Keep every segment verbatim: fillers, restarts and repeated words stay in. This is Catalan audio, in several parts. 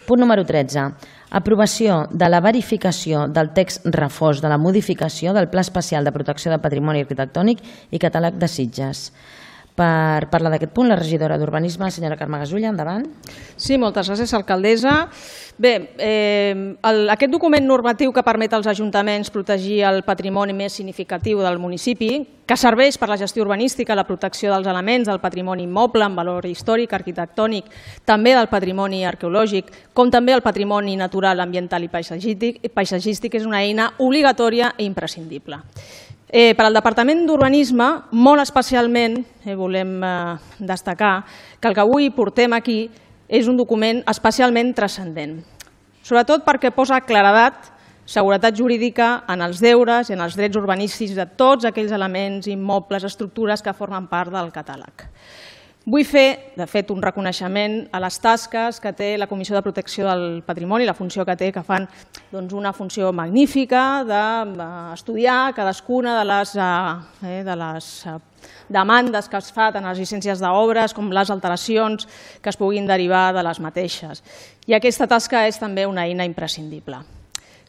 Punt número tretze. Aprovació de la verificació del text refós de la modificació del Pla Especial de Protecció del Patrimoni Arquitectònic i Catàleg de Sitges. Per parlar d'aquest punt, la regidora d'Urbanisme, la senyora Carme Gasulla, endavant. Sí, moltes gràcies, alcaldessa. Bé, aquest document normatiu que permet als ajuntaments protegir el patrimoni més significatiu del municipi, que serveix per la gestió urbanística, la protecció dels elements del patrimoni immoble amb valor històric, arquitectònic, també del patrimoni arqueològic, com també el patrimoni natural, ambiental i paisatgístic, és una eina obligatòria i imprescindible. Per al Departament d'Urbanisme, molt especialment, volem destacar que el que avui portem aquí és un document especialment transcendent, sobretot perquè posa claredat, seguretat jurídica en els deures i en els drets urbanístics de tots aquells elements, immobles, estructures que formen part del catàleg. Vull fer, de fet, un reconeixement a les tasques que té la Comissió de Protecció del Patrimoni, la funció que té, que fan una funció magnífica d'estudiar cadascuna de les demandes que es fan en les llicències d'obres, com les alteracions que es puguin derivar de les mateixes. I aquesta tasca és també una eina imprescindible.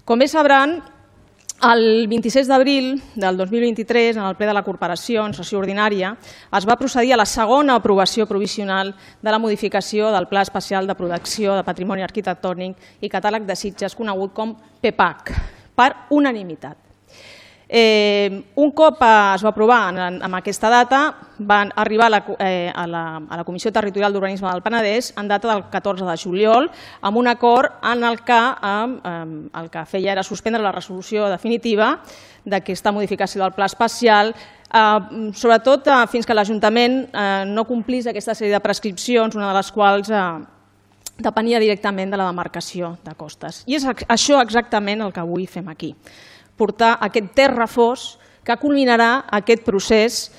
Com bé sabran, el vint-i-sis d'abril del dos mil vint-i-tres, en el ple de la Corporació, en sessió ordinària, es va procedir a la segona aprovació provisional de la modificació del Pla Especial de Protecció de Patrimoni Arquitectònic i Catàleg de Sitges, conegut com P E P A C, per unanimitat. Un cop es va aprovar en aquesta data, van arribar a la Comissió Territorial d'Urbanisme del Penedès en data del catorze de juliol amb un acord en el que el que feia era suspendre la resolució definitiva d'aquesta modificació del pla especial, sobretot fins que l'Ajuntament no complís aquesta sèrie de prescripcions, una de les quals depenia directament de la demarcació de costes. I és això exactament el que avui fem aquí. Portar aquest text refós que culminarà aquest procés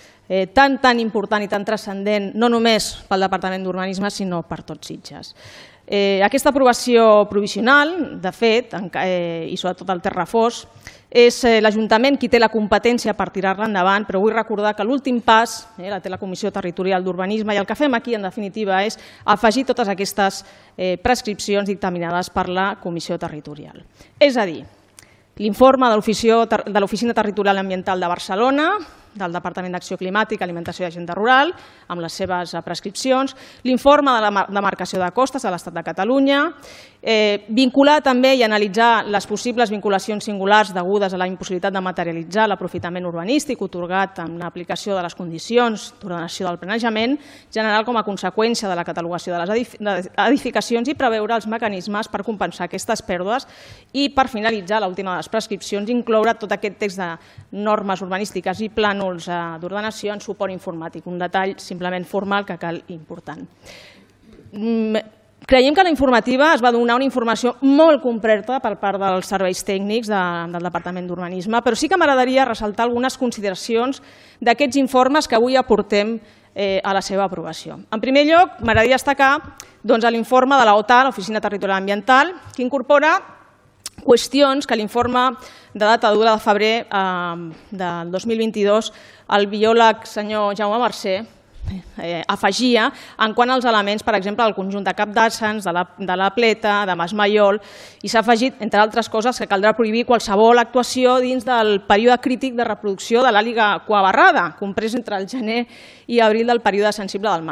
tan, tan important i tan transcendent, no només pel Departament d'Urbanisme, sinó per tots Sitges. Aquesta aprovació provisional, de fet, i sobretot el text refós, és l'Ajuntament qui té la competència per tirar-la endavant, però vull recordar que l'últim pas la té la Comissió Territorial d'Urbanisme i el que fem aquí, en definitiva, és afegir totes aquestes prescripcions dictaminades per la Comissió Territorial. És a dir, l'informe de l'Oficina Territorial Ambiental de Barcelona, del Departament d'Acció Climàtica, Alimentació i Agenda Rural, amb les seves prescripcions, l'informe de la demarcació de costes de l'Estat de Catalunya, vincular també i analitzar les possibles vinculacions singulars degudes a la impossibilitat de materialitzar l'aprofitament urbanístic atorgat en l'aplicació de les condicions d'ordenació del planejament general com a conseqüència de la catalogació de les edificacions i preveure els mecanismes per compensar aquestes pèrdues i, per finalitzar, l'última de les prescripcions, incloure tot aquest text de normes urbanístiques i plànols d'ordenació en suport informàtic, un detall simplement formal que cal important. Creiem que la informativa es va donar una informació molt completa per part dels serveis tècnics del Departament d'Urbanisme, però sí que m'agradaria ressaltar algunes consideracions d'aquests informes que avui aportem a la seva aprovació. En primer lloc, m'agradaria destacar l'informe de l'OTA, l'Oficina Territorial Ambiental, que incorpora qüestions que l'informe de data de de febrer del dos mil vint-i-dos el biòleg senyor Jaume Mercè afegia en quant als elements, per exemple, del conjunt de capdassens, de la pleta, de Mas Maiol, i s'ha afegit, entre altres coses, que caldrà prohibir qualsevol actuació dins del període crític de reproducció de l'àliga cuabarrada, comprès entre el gener i abril del període sensible del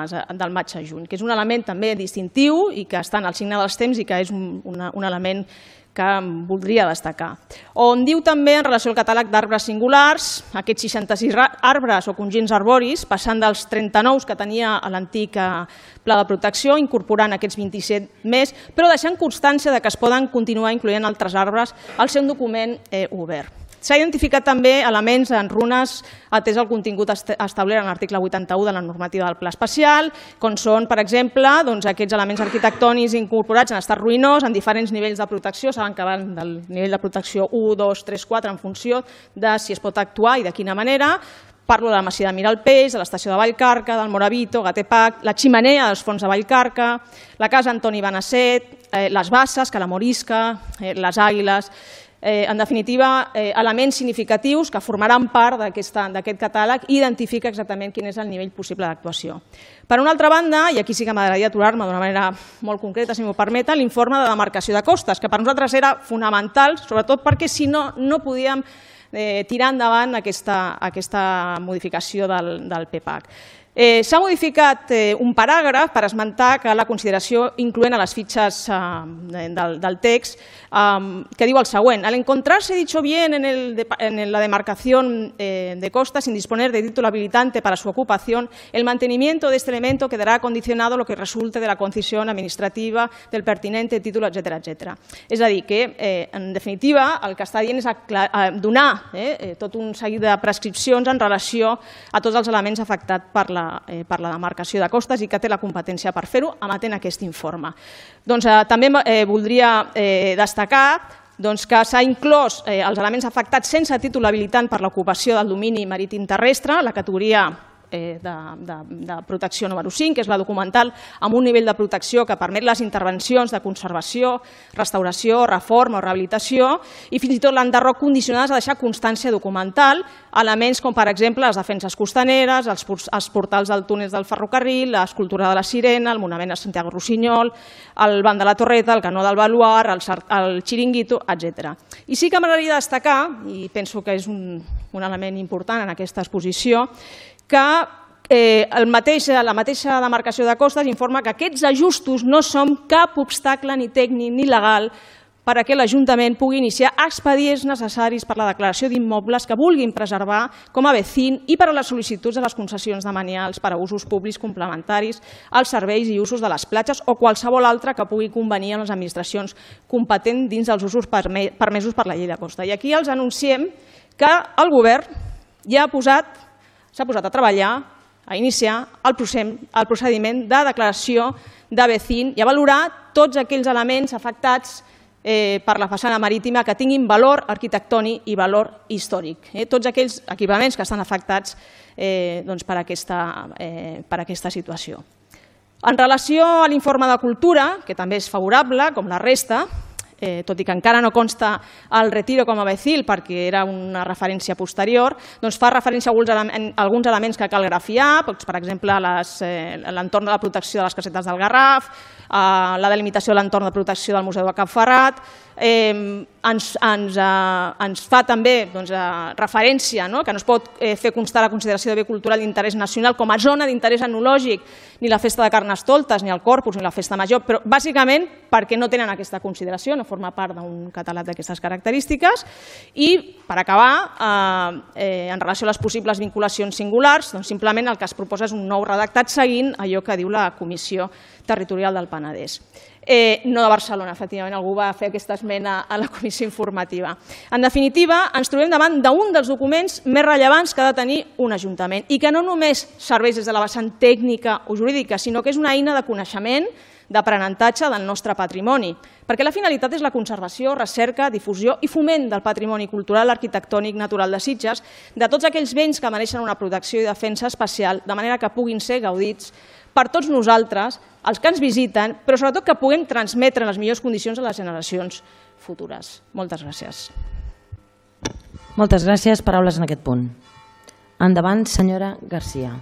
maig a juny, que és un element també distintiu i que està en el signe dels temps i que és un element que voldria destacar. On diu també, en relació al catàleg d'arbres singulars, aquests seixanta-sis arbres o conjunts arboris, passant dels trenta-nou que tenia l'antic pla de protecció, incorporant aquests vint-i-set més, però deixant constància que es poden continuar incloent altres arbres al seu document obert. S'ha identificat també elements en runes atès el contingut establert en l'article vuitanta-u de la normativa del pla especial, com són, per exemple, aquests elements arquitectònics incorporats en estat ruïnós en diferents nivells de protecció, saben que van del nivell de protecció u, dos, tres, quatre, en funció de si es pot actuar i de quina manera. Parlo de la masia de Miralpeix, de l'estació de Vallcarca, del Moravito, Gatepac, la ximenea dels fons de Vallcarca, la casa Antoni Benasset, les basses, que la Morisca, les Àguiles, en definitiva, elements significatius que formaran part d'aquest catàleg i identifica exactament quin és el nivell possible d'actuació. Per una altra banda, i aquí sí que m'agradaria aturar-me d'una manera molt concreta, si m'ho permeten, l'informe de demarcació de costes, que per nosaltres era fonamental, sobretot perquè si no, no podíem tirar endavant aquesta modificació del P PAC. S'ha modificat un paràgraf per esmentar que la consideració incloent a les fitxes del text que diu el següent: al encontrarse dicho bien en la demarcación de costas sin disponer de título habilitante para su ocupación, el mantenimiento de este elemento quedará condicionado a lo que resulte de la concesión administrativa del pertinente título, etcètera, etcètera. És a dir, que en definitiva el que està dient és donar tot un seguit de prescripcions en relació a tots els elements afectats per la per la demarcació de costes i que té la competència per fer-ho emetent aquest informe. També voldria destacar que s'ha inclòs els elements afectats sense títol habilitant per l'ocupació del domini marítim terrestre, la categoria de protecció número cinc, que és la documental, amb un nivell de protecció que permet les intervencions de conservació, restauració, reforma o rehabilitació, i fins i tot l'enderroc condicionades a deixar constància documental, elements com, per exemple, les defenses costaneres, els portals del túnel del ferrocarril, l'escultura de la Sirena, el monument a Santiago Rossinyol, el banc de la Torreta, el canó del Baluar, el Xiringuito, etcètera. I sí que m'agradaria destacar, i penso que és un element important en aquesta exposició, que la mateixa demarcació de costes informa que aquests ajustos no són cap obstacle ni tècnic ni legal perquè l'Ajuntament pugui iniciar expedients necessaris per a la declaració d'immobles que vulguin preservar com a vecín i per a les sol·licituds de les concessions demanials per a usos públics complementaris als serveis i usos de les platges o qualsevol altre que pugui convenir amb les administracions competents dins dels usos permesos per la llei de costa. I aquí els anunciem que el govern ja ha posat s'ha posat a treballar, a iniciar el procediment de declaració de vecín i a valorar tots aquells elements afectats per la façana marítima que tinguin valor arquitectònic i valor històric. Tots aquells equipaments que estan afectats per aquesta situació. En relació a l'informe de cultura, que també és favorable, com la resta, tot i que encara no consta el retiro com a vecil perquè era una referència posterior, doncs fa referència a alguns elements que cal grafiar, per exemple, l'entorn de la protecció de les casetes del Garraf, la delimitació de l'entorn de protecció del Museu de Cap Ferrat, ens fa també referència que no es pot fer constar la consideració de bé cultural d'interès nacional com a zona d'interès etnològic ni la Festa de Carnestoltes, ni el Corpus, ni la Festa Major, però bàsicament perquè no tenen aquesta consideració, no forma part d'un catàleg d'aquestes característiques. I, per acabar, en relació a les possibles vinculacions singulars, simplement el que es proposa és un nou redactat seguint allò que diu la Comissió Territorial del Penedès. No de Barcelona, efectivament, algú va fer aquesta esmena a la comissió informativa. En definitiva, ens trobem davant d'un dels documents més rellevants que ha de tenir un ajuntament i que no només serveix des de la vessant tècnica o jurídica, sinó que és una eina de coneixement, d'aprenentatge del nostre patrimoni, perquè la finalitat és la conservació, recerca, difusió i foment del patrimoni cultural, arquitectònic, natural de Sitges, de tots aquells béns que mereixen una protecció i defensa especial, de manera que puguin ser gaudits per tots nosaltres, els que ens visiten, però sobretot que puguem transmetre en les millors condicions a les generacions futures. Moltes gràcies. Moltes gràcies. Paraules en aquest punt. Endavant, senyora Garcia.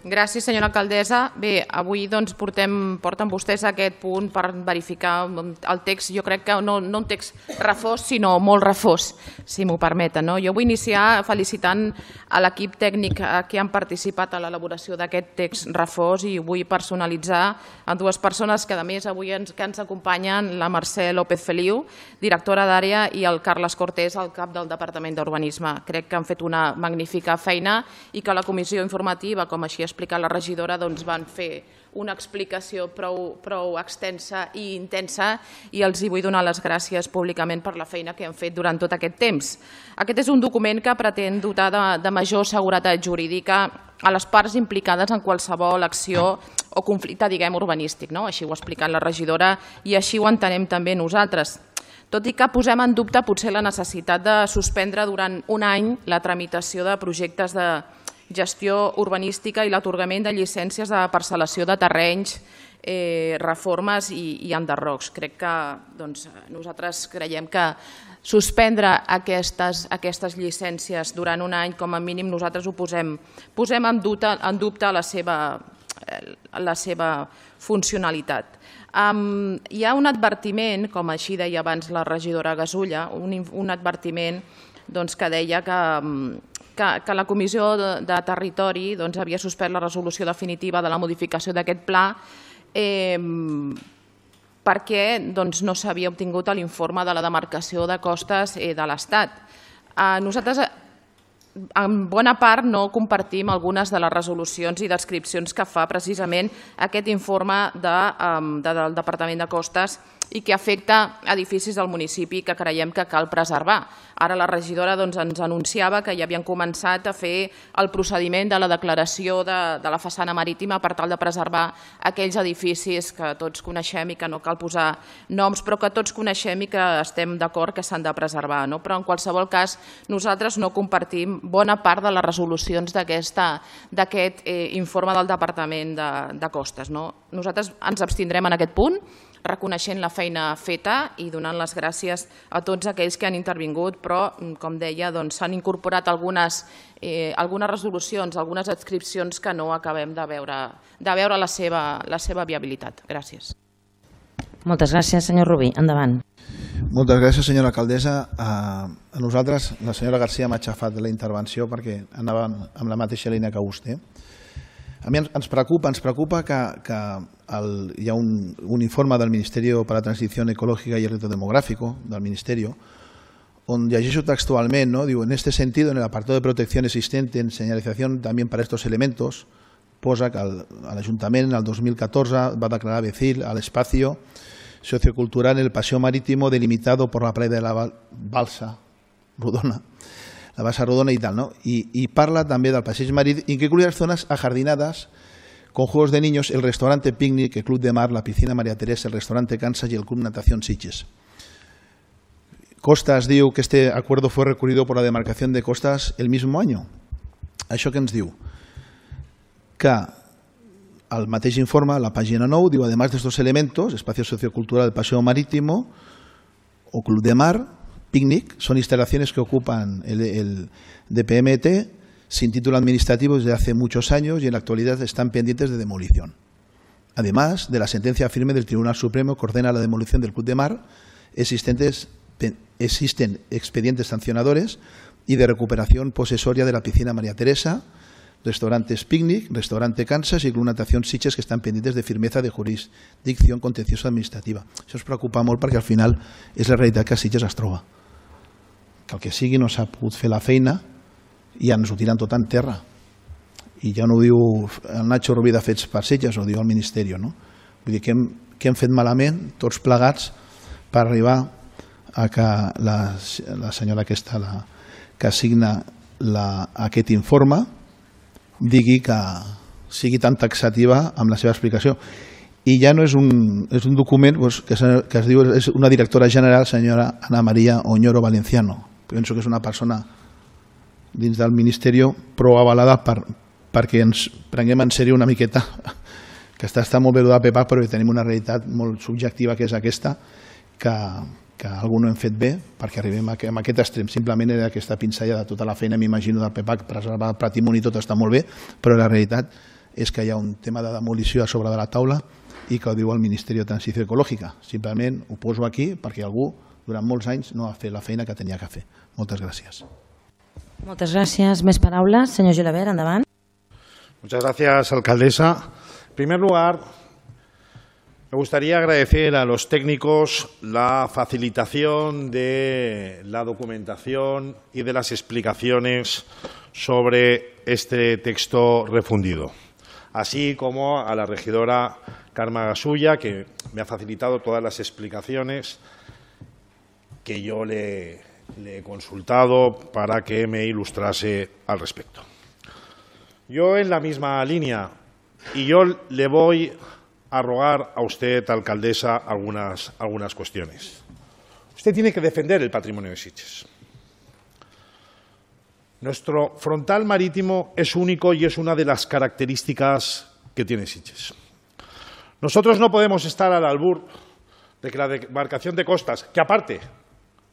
Gràcies, senyora alcaldessa. Bé, avui porten vostès aquest punt per verificar el text, jo crec que no un text refós, sinó molt refós, si m'ho permeten. Jo vull iniciar felicitant a l'equip tècnic que han participat a l'elaboració d'aquest text refós i vull personalitzar a dues persones que a més avui ens acompanyen, la Mercè López Feliu, directora d'àrea, i el Carles Cortés, el cap del Departament d'Urbanisme. Crec que han fet una magnífica feina i que la comissió informativa, com així ha explicat la regidora, van fer una explicació prou extensa i intensa i els vull donar les gràcies públicament per la feina que han fet durant tot aquest temps. Aquest és un document que pretén dotar de major seguretat jurídica a les parts implicades en qualsevol acció o conflicte, diguem, urbanístic. Així ho ha explicat la regidora i així ho entenem també nosaltres. Tot i que posem en dubte potser la necessitat de suspendre durant un any la tramitació de projectes de gestió urbanística i l'atorgament de llicències de parcel·lació de terrenys reformes i enderrocs. Crec que nosaltres creiem que suspendre aquestes llicències durant un any, com a mínim, nosaltres ho posem en dubte la seva funcionalitat. Hi ha un advertiment, com així deia abans la regidora Gasulla, un advertiment que deia que la Comissió de Territori havia suspès la resolució definitiva de la modificació d'aquest pla perquè no s'havia obtingut l'informe de la demarcació de costes de l'Estat. Nosaltres, en bona part, no compartim algunes de les resolucions i descripcions que fa precisament aquest informe del Departament de Costes i que afecta edificis del municipi que creiem que cal preservar. Ara la regidora ens anunciava que ja havien començat a fer el procediment de la declaració de la façana marítima per tal de preservar aquells edificis que tots coneixem i que no cal posar noms, però que tots coneixem i que estem d'acord que s'han de preservar. Però en qualsevol cas nosaltres no compartim bona part de les resolucions d'aquest informe del Departament de Costes. Nosaltres ens abstindrem en aquest punt, reconeixent la feina feta i donant les gràcies a tots aquells que han intervingut, però, com deia, s'han incorporat algunes resolucions, algunes adscripcions que no acabem de veure la seva viabilitat. Gràcies. Moltes gràcies, senyor Rubí. Endavant. Moltes gràcies, senyora alcaldessa. A nosaltres, la senyora Garcia m'ha aixafat la intervenció perquè anava amb la mateixa línia que vostè. A mi ens preocupa, ens preocupa que hi ha un informe del Ministerio para la Transición Ecológica y el Reto Demográfico, del Ministerio, on llegeixo textualment, diu, en este sentido, en el apartado de protección existente en señalización también para estos elementos, posa que l'Ajuntament en el dos mil catorze va declarar Becil al espacio sociocultural en el paseo marítimo delimitado por la playa de la Balsa Rodona. La Basa Rodona y tal, ¿no? Y parla també del passeig marítimo, que incluye las zonas ajardinadas con juegos de niños, el restaurante Picnic, el Club de Mar, la piscina María Teresa, el restaurante Kansas y el Club Natación Sitges. Costas diu que este acuerdo fue recurrido por la demarcación de Costas el mismo año. Això què ens diu? Que al mateix informe, la pàgina nou, diu, además de estos elementos, espacio sociocultural del paseo marítimo o Club de Mar, Picnic, son instalaciones que ocupan el D P M T sin título administrativo desde hace muchos años y en la actualidad están pendientes de demolición. Además de la sentencia firme del Tribunal Supremo que ordena la demolición del Club de Mar, existen expedientes sancionadores y de recuperación posesoria de la piscina María Teresa, restaurantes Picnic, restaurante Kansas y Club Natación Sitges que estan pendientes de firmeza de jurisdicció contenciosa administrativa. Això ens preocupa molt perquè al final és la realitat que a Sitges es troba. Que el que sigui no s'ha pogut fer la feina i ens ho tiren tot en terra. I ja no ho diu el Nacho Rubí de Fets per Sitges, ho diu el Ministeri. Vull dir que hem fet malament tots plegats per arribar a que la senyora aquesta que assigna aquest informe digui que sigui tan taxativa amb la seva explicació. I ja no és un document que es diu, és una directora general, senyora Ana María Oñoro Valenciano. Penso que és una persona dins del Ministeri prou avalada perquè ens prenguem en sèrio una miqueta, que està molt bé de P E P A C, però tenim una realitat molt subjectiva que és aquesta, que algú no hem fet bé perquè arribem a aquest extrem. Simplement era aquesta pinzellada de tota la feina, m'imagino, del P E P A C, preservar el patrimoni, tot està molt bé, però la realitat és que hi ha un tema de demolició a sobre de la taula i que ho diu el Ministeri de Transició Ecològica. Simplement ho poso aquí perquè algú durant molts anys no ha fet la feina que tenia que fer. Moltes gràcies. Moltes gràcies. Més paraules. Senyor Gilabert, endavant. Muchas gracias, alcaldesa. En primer lugar, me gustaría agradecer a los técnicos la facilitación de la documentación y de las explicaciones sobre este texto refundido, así como a la regidora Carme Gasulla, que me ha facilitado todas las explicaciones que yo le, le he consultado para que me ilustrase al respecto. Yo en la misma línea, y yo le voy a rogar a usted, alcaldesa, algunas, algunas cuestiones. Usted tiene que defender el patrimonio de Sitges. Nuestro frontal marítimo es único y es una de las características que tiene Sitges. Nosotros no podemos estar al albur de que la demarcación de costas, que aparte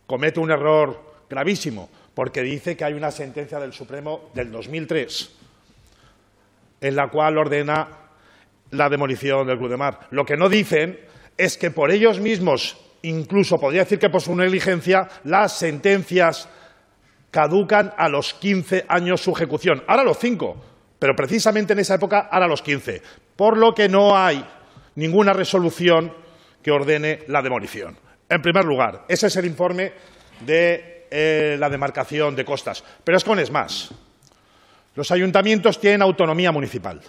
comete un error gravísimo, porque dice que hay una sentencia del Supremo del dos mil tres en la cual ordena la demolición del Club de Mar. Lo que no dicen es que por ellos mismos, incluso podría decir que por su negligencia, las sentencias caducan a los quince años su ejecución. Ahora los cinco, pero precisamente en esa época ahora los quince. Por lo que no hay ninguna resolución que ordene la demolición. En primer lugar, ese es el informe de eh, la demarcación de costas. Pero es con es más. Los ayuntamientos tienen autonomía municipal.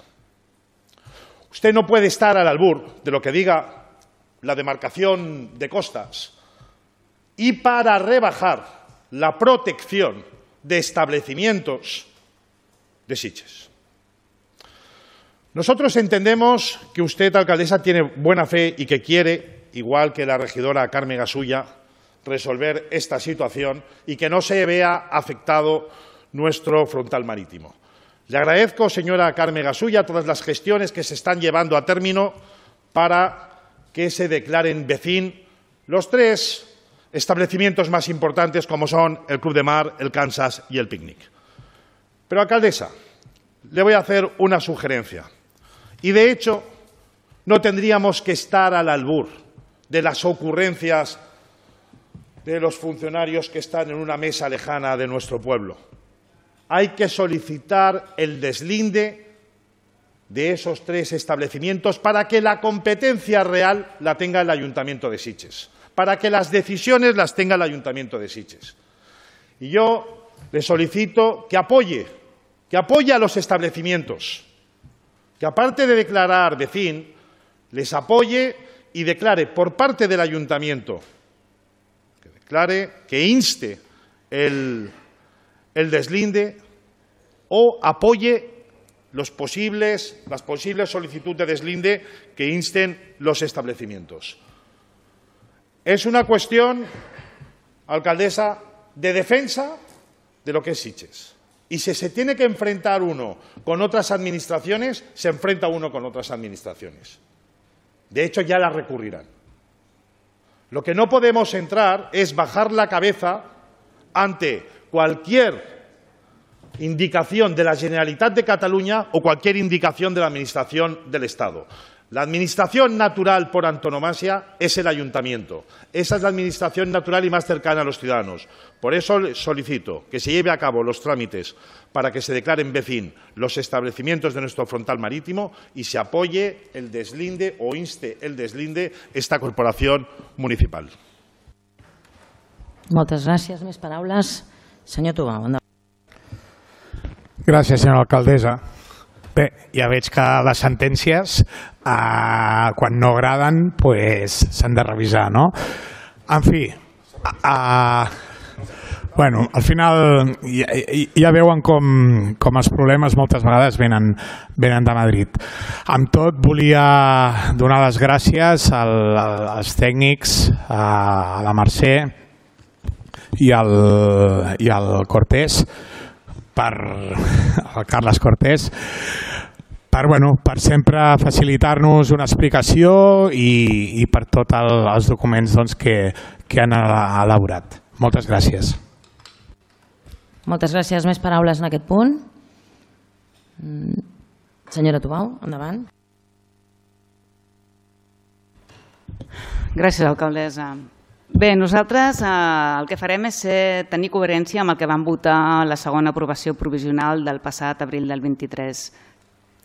Usted no puede estar al albur de lo que diga la demarcación de costas y para rebajar la protección de establecimientos de Sitges. Nosotros entendemos que usted, alcaldesa, tiene buena fe y que quiere, igual que la regidora Carmen Gasulla, resolver esta situación y que no se vea afectado nuestro frontal marítimo. Le agradezco, señora Carmen Gasulla, todas las gestiones que se están llevando a término para que se declaren B C I N los tres establecimientos más importantes como son el Club de Mar, el Kansas y el Picnic. Pero, alcaldesa, le voy a hacer una sugerencia. Y, de hecho, no tendríamos que estar al albur de las ocurrencias de los funcionarios que están en una mesa lejana de nuestro pueblo. Hay que solicitar el deslinde de esos tres establecimientos para que la competencia real la tenga el Ayuntamiento de Sitges, para que las decisiones las tenga el Ayuntamiento de Sitges. Y yo le solicito que apoye, que apoye a los establecimientos, que aparte de declarar B C I N, les apoye y declare por parte del Ayuntamiento, que declare, que inste el, el deslinde o apoye los posibles, las posibles solicitudes de deslinde que insten los establecimientos. Es una cuestión, alcaldesa, de defensa de lo que es Sitges. Y si se tiene que enfrentar uno con otras administraciones, se enfrenta uno con otras administraciones. De hecho, ya las recurrirán. Lo que no podemos entrar es bajar la cabeza ante cualquier indicación de la Generalitat de Cataluña o cualquier indicación de la Administración del Estado. La administración natural por antonomasia es el Ayuntamiento. Esa es la administración natural y más cercana a los ciudadanos. Por eso solicito que se lleve a cabo los trámites para que se declaren B C I N los establecimientos de nuestro frontal marítimo y se apoye el deslinde o inste el deslinde esta corporación municipal. Moltes gràcies. Més paraules. Senyor Tubau, endavant. Gràcies, senyora alcaldessa. Bé, ja veig que les sentències, eh, quan no agraden, s'han de revisar, no? En fi, eh, bueno, al final ja, ja veuen com, com els problemes moltes vegades venen, venen de Madrid. Amb tot, volia donar les gràcies al, als tècnics, a la Mercè i al, i al Cortés, per el Carles Cortés, per, bueno, per sempre facilitar-nos una explicació i, i per tots el, els documents doncs, que, que han elaborat. Moltes gràcies. Moltes gràcies. Més paraules en aquest punt? Senyora Tubau, endavant. Gràcies, alcaldessa. Bé, nosaltres eh, el que farem és ser, tenir coherència amb el que vam votar la segona aprovació provisional del passat abril del vint-i-tres.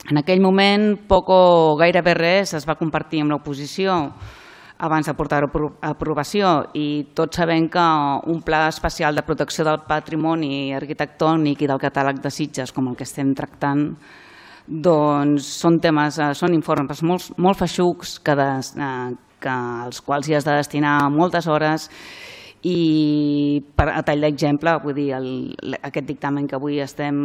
En aquell moment, poc o gairebé res es va compartir amb l'oposició abans de portar-ho a aprovació i tots sabem que un pla especial de protecció del patrimoni arquitectònic i del catàleg de Sitges, com el que estem tractant, doncs són temes, són informes molt, molt feixucs que, de, que als quals hi has de destinar moltes hores i per, a tall d'exemple, vull dir, el, aquest dictamen que avui estem,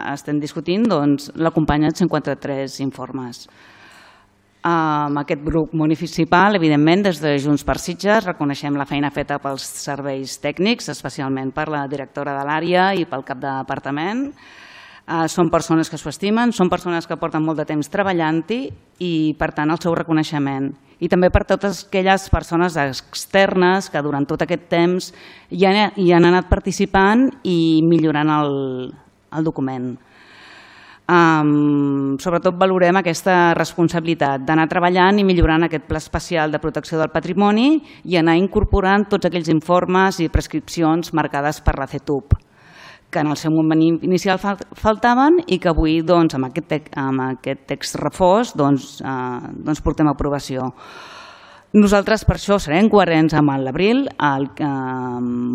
estem discutint, doncs l'acompanya cinquanta-tres informes. Amb aquest grup municipal, evidentment, des de Junts per Sitges reconeixem la feina feta pels serveis tècnics, especialment per la directora de l'àrea i pel cap de departament. Són persones que s'ho estimen, són persones que porten molt de temps treballant-hi i, per tant, el seu reconeixement. I també per totes aquelles persones externes que durant tot aquest temps hi han anat participant i millorant el document. Sobretot valorem aquesta responsabilitat d'anar treballant i millorant aquest Pla Especial de Protecció del Patrimoni i anar incorporant tots aquells informes i prescripcions marcades per la C E T U P, que en el seu moment inicial faltaven i que avui amb aquest text refós portem a aprovació. Nosaltres per això serem coherents amb l'Abril,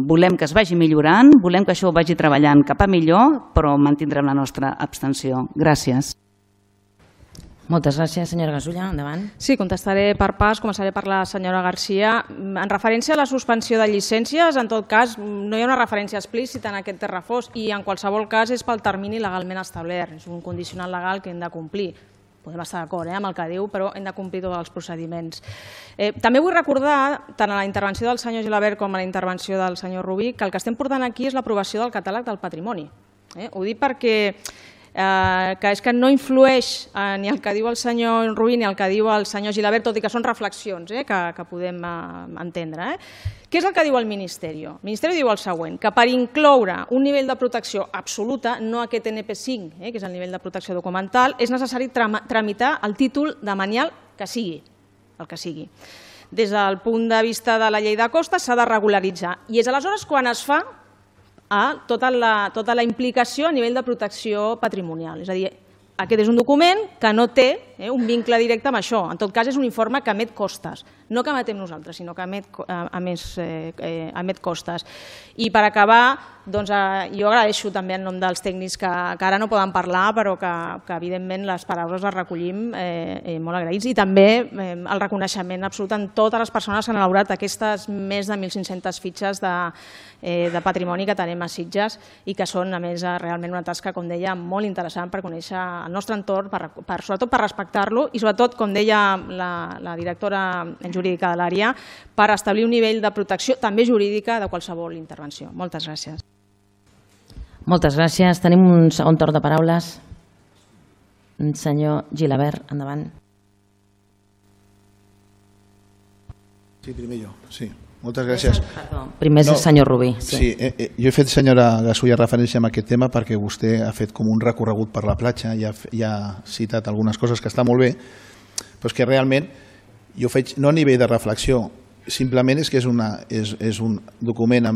volem que es vagi millorant, volem que això vagi treballant cap a millor, però mantindrem la nostra abstenció. Gràcies. Moltes gràcies, senyora Gasulla. Endavant. Sí, contestaré per pas, començaré per la senyora Garcia. En referència a la suspensió de llicències, en tot cas, no hi ha una referència explícita en aquest text refós i en qualsevol cas és pel termini legalment establert. És un condicional legal que hem de complir. Podem estar d'acord amb el que diu, però hem de complir tots els procediments. També vull recordar, tant a la intervenció del senyor Gilabert com a la intervenció del senyor Rubí, que el que estem portant aquí és l'aprovació del catàleg del patrimoni. Ho dic perquè que és que no influeix ni el que diu el senyor Rubí ni el que diu el senyor Gilabert, tot i que són reflexions que podem entendre. Què és el que diu el Ministeri? El Ministeri diu el següent, que per incloure un nivell de protecció absoluta, no aquest N P cinc, que és el nivell de protecció documental, és necessari tramitar el títol de manial que sigui, el que sigui. Des del punt de vista de la llei de costes s'ha de regularitzar i és aleshores quan es fa tota la implicació a nivell de protecció patrimonial. És a dir, aquest és un document que no té un vincle directe amb això. En tot cas, és un informe que emet costes. No que emetem nosaltres, sinó que emet costes. I per acabar, jo agraeixo també en nom dels tècnics que ara no poden parlar, però que evidentment les paraules les recollim molt agraïts. I també el reconeixement absolut a totes les persones que han elaborat aquestes més de mil cinc-centes fitxes de patrimoni que tenim a Sitges i que són, a més, realment una tasca, com deia, molt interessant per conèixer el nostre entorn, sobretot per respectar-lo i sobretot, com deia la directora jurídica de l'àrea, per establir un nivell de protecció també jurídica de qualsevol intervenció. Moltes gràcies. Moltes gràcies. Tenim un segon torn de paraules. Senyor Gilabert, endavant. Sí, primer jo. Sí. Moltes gràcies. Primer és el senyor Rubí. Sí, jo he fet, senyora Gasulla, referència a aquest tema perquè vostè ha fet com un recorregut per la platja i ha citat algunes coses que està molt bé, però és que realment jo faig, no a nivell de reflexió, simplement és que és un document,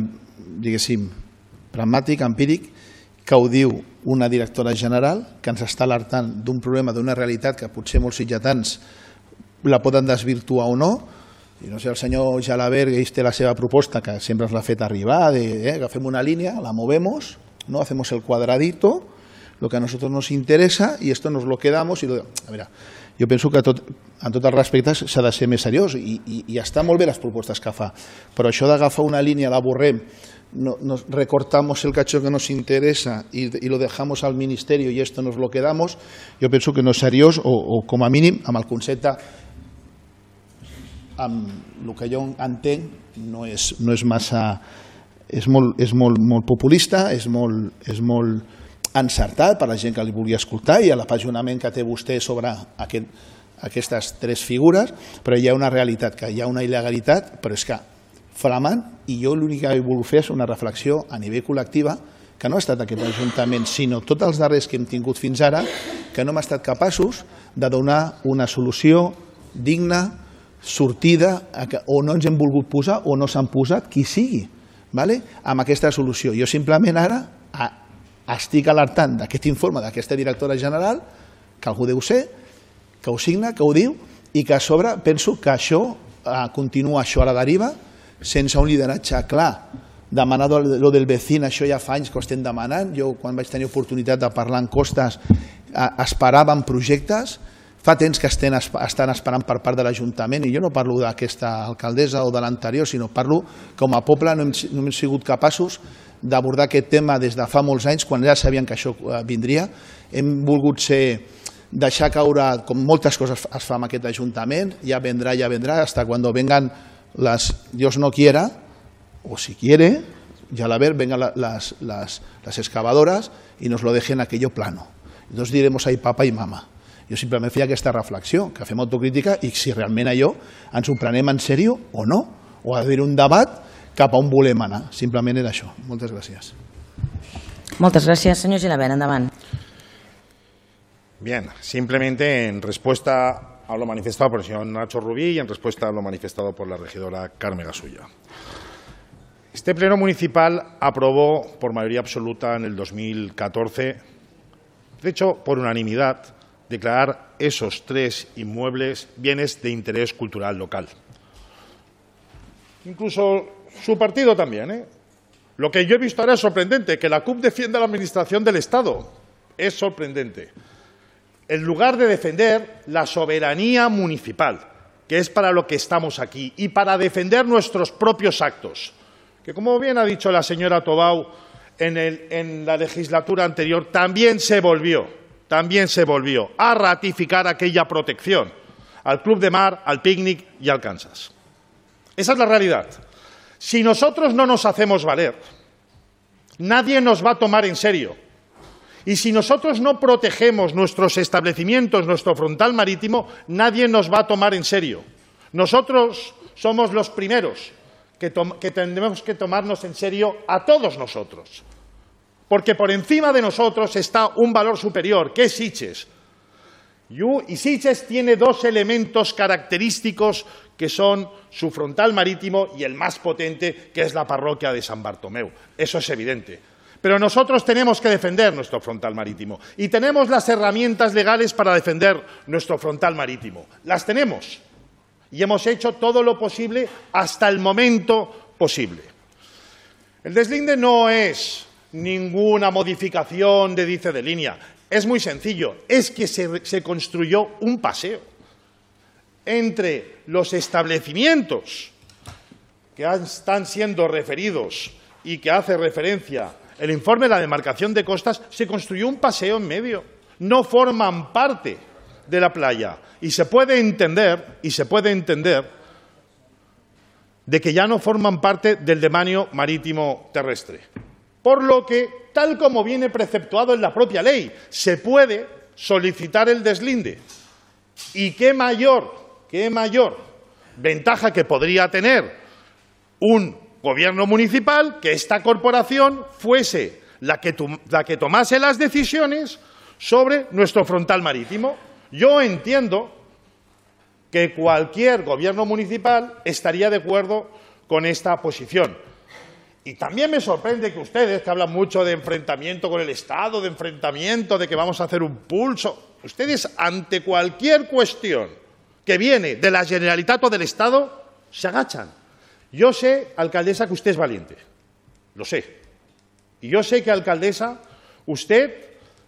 diguéssim, pragmàtic, empíric, que ho diu una directora general que ens està alertant d'un problema, d'una realitat que potser molts sitgetans la poden desvirtuar o no. I no sé, el senyor Gilabert té la seva proposta, que sempre ens l'ha fet arribar, de agafem una línia, la movemos, hacemos el cuadradito, lo que a nosotros nos interesa y esto nos lo quedamos. A veure, jo penso que en tots els respectes s'ha de ser més seriós i està molt bé les propostes que fa, però això d'agafar una línia, la borrem, nos recortamos el cacho que nos interesa y lo dejamos al ministerio y esto nos lo quedamos, jo penso que no és seriós o com a mínim amb el concepte, amb el que jo entenc, no és massa, és molt populista, és molt encertat per a la gent que li vulgui escoltar i a l'apasionament que té vostè sobre aquestes tres figures, però hi ha una realitat, que hi ha una il·legalitat, però és que flamant, i jo l'únic que he volgut fer és una reflexió a nivell col·lectiva, que no ha estat aquest Ajuntament, sinó tots els darrers que hem tingut fins ara, que no hem estat capaços de donar una solució digna, sortida, o no ens hem volgut posar o no s'han posat, qui sigui, amb aquesta solució. Jo simplement ara estic alertant d'aquest informe d'aquesta directora general, que algú deu ser, que ho signa, que ho diu, i que a sobre penso que això continua això a la deriva, sense un lideratge clar. Demanar lo del vecino, això ja fa anys que ho estem demanant. Jo, quan vaig tenir oportunitat de parlar en costes, esperàvem projectes, fa temps que estan esperant per part de l'Ajuntament, i jo no parlo d'aquesta alcaldessa o de l'anterior, sinó parlo com a poble no hem sigut capaços d'abordar aquest tema des de fa molts anys, quan ja sabien que això vindria. Hem volgut ser, deixar caure, com moltes coses es fa en aquest Ajuntament, ja vendrà, ja vendrà, hasta cuando vengan las, Dios no quiera, o si quiere, y a la ver vengan la, las, las, las excavadoras y nos lo dejen aquello plano. Entonces diremos ahí papa i mama. Jo simplement feia aquesta reflexió, que fem autocrítica i si realment allò ens ho prenem en sèrio o no, o ha d'haver un debat cap a on volem anar. Simplement era això. Moltes gràcies. Moltes gràcies. Senyor Gilabert, endavant. Bien, simplemente en respuesta a lo manifestado por el señor Nacho Rubí y en respuesta a lo manifestado por la regidora Carme Gasulla. Este pleno municipal aprobó por mayoría absoluta en el dos mil catorce, de hecho por unanimidad, declarar esos tres inmuebles bienes de interés cultural local. Incluso su partido también, ¿eh? Lo que yo he visto ahora es sorprendente, que la C U P defienda la administración del Estado. Es sorprendente. En lugar de defender la soberanía municipal, que es para lo que estamos aquí, y para defender nuestros propios actos, que como bien ha dicho la señora Tobau, en, el, en la legislatura anterior también se volvió, también se volvió a ratificar aquella protección al Club de Mar, al Picnic y al Kansas. Esa es la realidad. Si nosotros no nos hacemos valer, nadie nos va a tomar en serio. Y si nosotros no protegemos nuestros establecimientos, nuestro frontal marítimo, nadie nos va a tomar en serio. Nosotros somos los primeros que, que tendremos que tomarnos en serio a todos nosotros. Porque por encima de nosotros está un valor superior, que es Sitges. Y Sitges tiene dos elementos característicos que son su frontal marítimo y el más potente, que es la parroquia de San Bartomeu. Eso es evidente. Pero nosotros tenemos que defender nuestro frontal marítimo y tenemos las herramientas legales para defender nuestro frontal marítimo. Las tenemos y hemos hecho todo lo posible hasta el momento posible. El deslinde no es ninguna modificación de dice de línea. Es muy sencillo, es que se, se construyó un paseo entre los establecimientos que están siendo referidos y que hace referencia el informe de la demarcación de costas, se construyó un paseo en medio. No forman parte de la playa y se puede entender, y se puede entender de que ya no forman parte del dominio marítimo terrestre. Por lo que, tal como viene preceptuado en la propia ley, se puede solicitar el deslinde. ¿Y qué mayor, qué mayor ventaja que podría tener un gobierno municipal que esta corporación fuese la que, la que tomase las decisiones sobre nuestro frontal marítimo? Yo entiendo que cualquier gobierno municipal estaría de acuerdo con esta posición. Y también me sorprende que ustedes, que hablan mucho de enfrentamiento con el Estado, de enfrentamiento, de que vamos a hacer un pulso, ustedes ante cualquier cuestión que viene de la Generalitat o del Estado, se agachan. Yo sé, alcaldesa, que usted es valiente, lo sé. Y yo sé que, alcaldesa, usted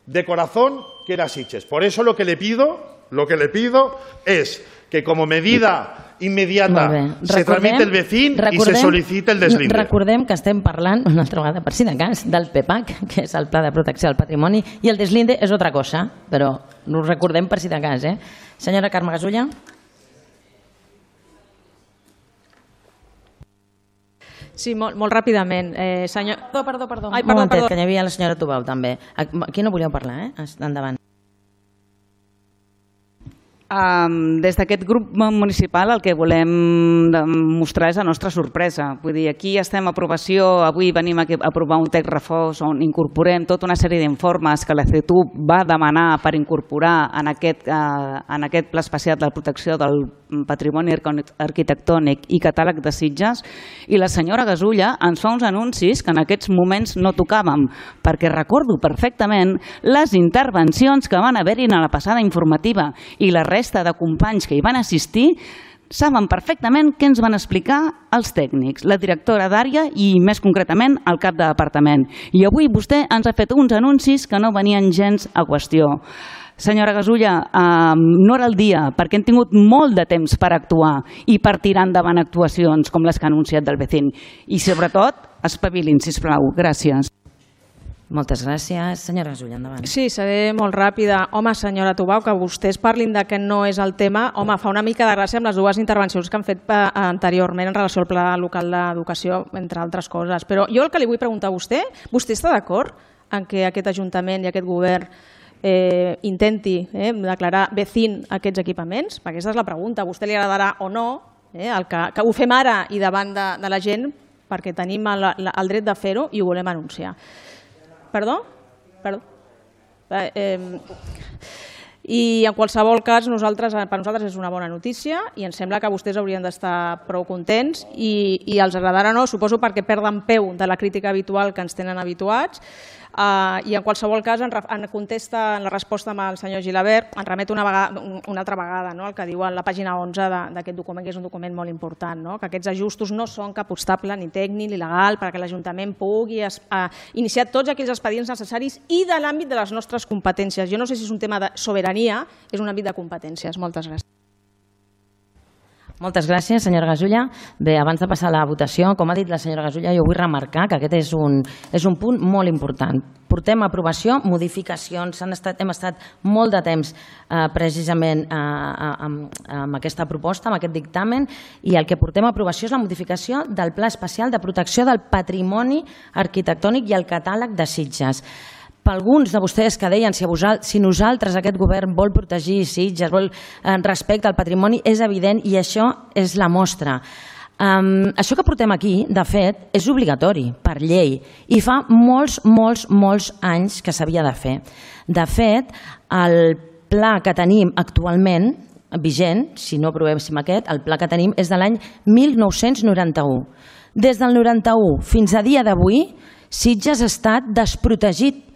de corazón quiere a Sitges. Por eso lo que le pido, lo que le pido es que como medida immediata se tramite el vecín i se sol·licite el deslinde. Recordem que estem parlant, una altra vegada per si de cas, del P E P A C, que és el Pla de Protecció del Patrimoni, i el deslinde és otra cosa, però ho recordem per si de cas. Eh? Senyora Carme Gasulla. Sí, molt, molt ràpidament. Eh, senyor... Perdó, perdó, perdó. Ai, perdó, un momentet, perdó. que hi havia la senyora Tubau també. Aquí no volíeu parlar, eh? Endavant. Um, des d'aquest grup municipal el que volem mostrar és la nostra sorpresa. Vull dir, aquí estem a aprovació, avui venim a aprovar un text refós on incorporem tota una sèrie d'informes que la C E T U va demanar per incorporar en aquest, uh, en aquest pla especial de protecció del patrimoni arquitectònic i catàleg de Sitges, i la senyora Gasulla ens fa uns anuncis que en aquests moments no tocàvem, perquè recordo perfectament les intervencions que van haver-hi a la passada informativa i la resta de companys que hi van assistir saben perfectament què ens van explicar els tècnics, la directora d'àrea i més concretament el cap de departament. I avui vostè ens ha fet uns anuncis que no venien gens a qüestió. Senyora Gasulla, eh, no era el dia perquè hem tingut molt de temps per actuar i per tirar endavant actuacions com les que ha anunciat del vecín. I sobretot, espavilin, sisplau. Gràcies. Moltes gràcies. Senyora Gasulla, endavant. Sí, seré molt ràpida. Home, senyora Tubau, que vostès parlin de que no és el tema, home, fa una mica de gràcia amb les dues intervencions que han fet anteriorment en relació al Pla Local d'Educació, entre altres coses. Però jo el que li vull preguntar a vostè, vostè està d'acord en que aquest Ajuntament i aquest govern eh, intenti eh, declarar vecín aquests equipaments? Perquè aquesta és la pregunta. A vostè li agradarà o no eh, el que, que ho fem ara i davant de, de la gent perquè tenim el, el dret de fer-ho i ho volem anunciar. Perdó? Perdó. Eh, eh, I en qualsevol cas, nosaltres, per nosaltres és una bona notícia i ens sembla que vostès haurien d'estar prou contents i, i els agradarà o no, suposo perquè perden peu de la crítica habitual que ens tenen habituats. Uh, I en qualsevol cas, en, en contesta en la resposta amb el senyor Gilabert, en remet una, vegada, una altra vegada no? El que diu a la pàgina onze d'aquest document, que és un document molt important, no? Que aquests ajustos no són cap obstacle ni tècnic ni legal perquè l'Ajuntament pugui es, uh, iniciar tots aquells expedients necessaris i de l'àmbit de les nostres competències. Jo no sé si és un tema de sobirania, és un àmbit de competències. Moltes gràcies. Moltes gràcies, senyora Gasulla. Bé, abans de passar a la votació, com ha dit la senyora Gasulla, jo vull remarcar que aquest és un, és un punt molt important. Portem a aprovació modificacions, han estat, hem estat molt de temps eh, precisament eh, amb, amb aquesta proposta, amb aquest dictamen, i el que portem a aprovació és la modificació del Pla Especial de Protecció del Patrimoni Arquitectònic i el Catàleg de Sitges. Per alguns de vostès que deien si, vosal, si nosaltres, aquest govern, vol protegir Sitges, vol eh, respecte al patrimoni, és evident i això és la mostra. Um, això que portem aquí, de fet, és obligatori per llei i fa molts, molts, molts anys que s'havia de fer. De fet, el pla que tenim actualment, vigent, si no aprovéssim aquest, el pla que tenim és de l'any mil nou-cents noranta-u. Des del noranta-u fins a dia d'avui, Sitges ha estat desprotegit.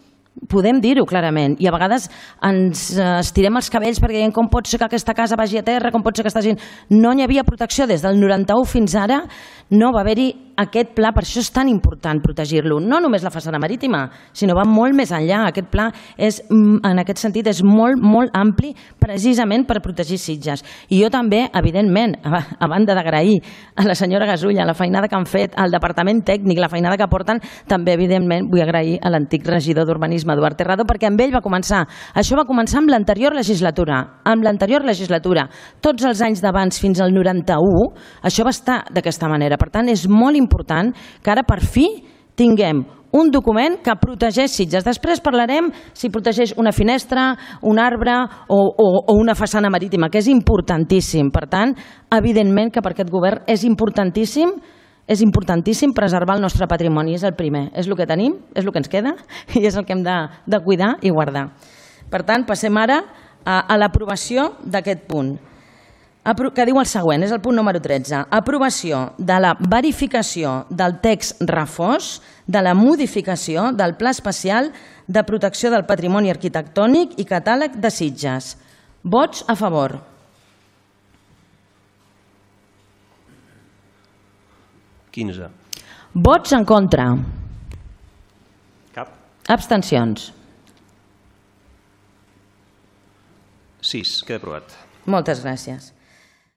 Podem dir-ho clarament i a vegades ens estirem els cabells perquè diem com pot ser que aquesta casa vagi a terra, com pot ser que aquesta gent... No hi havia protecció des del noranta-u fins ara, no va haver-hi aquest pla, per això és tan important protegir-lo. No només la façana marítima, sinó va molt més enllà. Aquest pla és, en aquest sentit, és molt, molt ampli precisament per protegir Sitges. I jo també, evidentment, a banda d'agrair a la senyora Gasulla la feinada que han fet, al departament tècnic, la feinada que porten, també, evidentment, vull agrair a l'antic regidor d'Urbanisme, Eduard Terrado, perquè amb ell va començar. Això va començar amb l'anterior legislatura. Amb l'anterior legislatura. Tots els anys d'abans fins al noranta-u, això va estar d'aquesta manera. Per tant, és molt important que ara per fi tinguem un document que protegeix Sitges. Després parlarem si protegeix una finestra, un arbre o, o, o una façana marítima, que és importantíssim. Per tant, evidentment que per aquest govern és importantíssim És importantíssim preservar el nostre patrimoni, és el primer, és el que tenim, és el que ens queda i és el que hem de, de cuidar i guardar. Per tant, passem ara a, a l'aprovació d'aquest punt, que diu el següent, és el punt número tretze. Aprovació de la verificació del text refós de la modificació del Pla Especial de Protecció del Patrimoni Arquitectònic i Catàleg de Sitges. Vots a favor. quinze. Vots en contra. Cap. Abstencions. sis. Queda aprovat. Moltes gràcies.